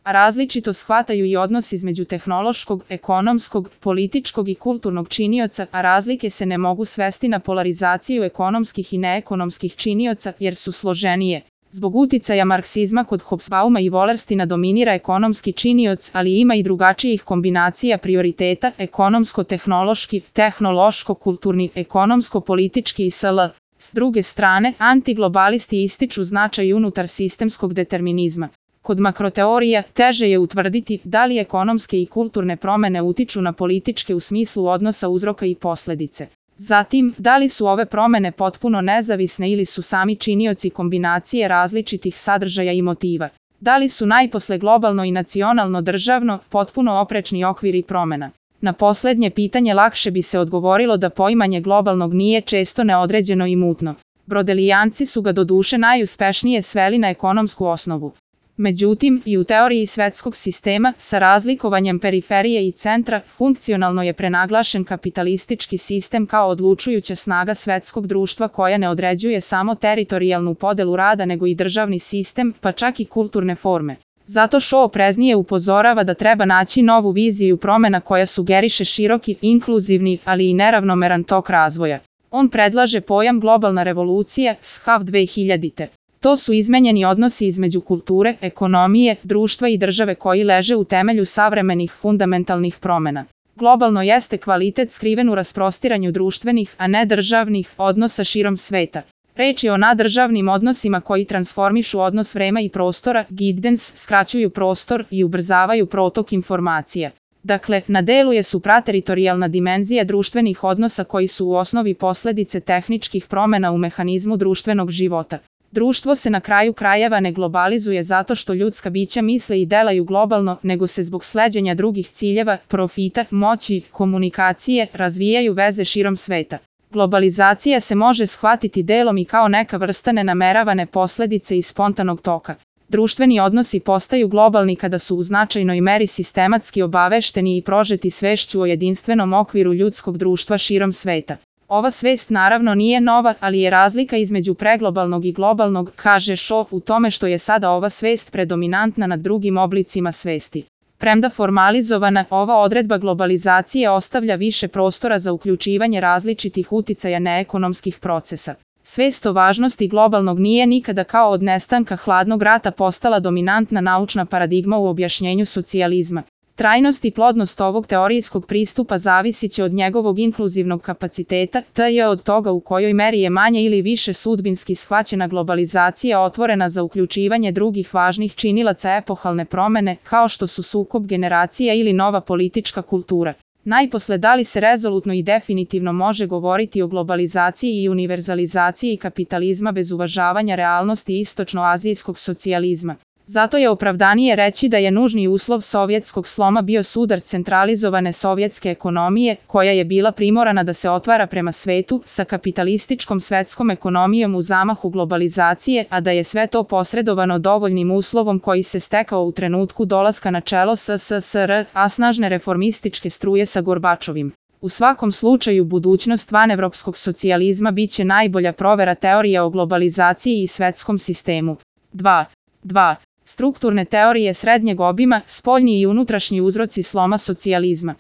a različito shvataju i odnos između tehnološkog, ekonomskog, političkog i kulturnog činioca, a razlike se ne mogu svesti na polarizaciju ekonomskih i neekonomskih činioca jer su složenije. Zbog uticaja marksizma kod Hobsbauma i Wallerstina dominira ekonomski činioc, ali ima i drugačijih kombinacija prioriteta, ekonomsko-tehnološki, tehnološko-kulturni, ekonomsko-politički i sl. S druge strane, antiglobalisti ističu značaj unutar sistemskog determinizma. Kod makroteorija teže je utvrditi da li ekonomske i kulturne promene utiču na političke u smislu odnosa uzroka i posledice. Zatim, da li su ove promene potpuno nezavisne ili su sami činioci kombinacije različitih sadržaja i motiva? Da li su najposle globalno i nacionalno državno potpuno oprečni okviri promena? Na poslednje pitanje lakše bi se odgovorilo da poimanje globalnog nije često neodređeno i mutno. Brodelijanci su ga doduše najuspešnije sveli na ekonomsku osnovu. Međutim, i u teoriji svetskog sistema, sa razlikovanjem periferije i centra, funkcionalno je prenaglašen kapitalistički sistem kao odlučujuća snaga svetskog društva koja ne određuje samo teritorijalnu podelu rada nego i državni sistem, pa čak i kulturne forme. Zato Shaw opreznije upozorava da treba naći novu viziju promena koja sugeriše široki, inkluzivni, ali i neravnomeran tok razvoja. On predlaže pojam globalna revolucija, SHAV 2000. To su izmenjeni odnosi između kulture, ekonomije, društva i države koji leže u temelju savremenih fundamentalnih promena. Globalno jeste kvalitet skriven u rasprostiranju društvenih, a ne državnih, odnosa širom sveta. Reč je o nadržavnim odnosima koji transformišu odnos vremena i prostora, giddens, skraćuju prostor i ubrzavaju protok informacija. Dakle, na delu je suprateritorijalna dimenzija društvenih odnosa koji su u osnovi posledice tehničkih promena u mehanizmu društvenog života. Društvo se na kraju krajeva ne globalizuje zato što ljudska bića misle i delaju globalno, nego se zbog sleđenja drugih ciljeva, profita, moći, komunikacije, razvijaju veze širom sveta. Globalizacija se može shvatiti delom i kao neka vrsta nenameravane posledice i spontanog toka. Društveni odnosi postaju globalni kada su u značajnoj meri sistematski obavešteni i prožeti svešću o jedinstvenom okviru ljudskog društva širom sveta. Ova svest naravno nije nova, ali je razlika između preglobalnog i globalnog, kaže Shaw, u tome što je sada ova svest predominantna nad drugim oblicima svesti. Premda formalizovana, ova odredba globalizacije ostavlja više prostora za uključivanje različitih uticaja neekonomskih procesa. Svest o važnosti globalnog nije nikada kao od nestanka hladnog rata postala dominantna naučna paradigma u objašnjenju socijalizma. Trajnost i plodnost ovog teorijskog pristupa zavisit će od njegovog inkluzivnog kapaciteta, t.j. od toga u kojoj meri je manje ili više sudbinski shvaćena globalizacija otvorena za uključivanje drugih važnih činilaca epohalne promene, kao što su sukob generacija ili nova politička kultura. Najposle da li se rezolutno i definitivno može govoriti o globalizaciji i univerzalizaciji kapitalizma bez uvažavanja realnosti istočnoazijskog socijalizma. Zato je opravdanije reći da je nužni uslov sovjetskog sloma bio sudar centralizovane sovjetske ekonomije, koja je bila primorana da se otvara prema svetu, sa kapitalističkom svetskom ekonomijom u zamahu globalizacije, a da je sve to posredovano dovoljnim uslovom koji se stekao u trenutku dolaska na čelo SSSR, a snažne reformističke struje sa Gorbačovim. U svakom slučaju budućnost vanevropskog socijalizma biće najbolja provera teorija o globalizaciji i svetskom sistemu. 2. Strukturne teorije srednjeg obima, spoljni i unutrašnji uzroci sloma socijalizma.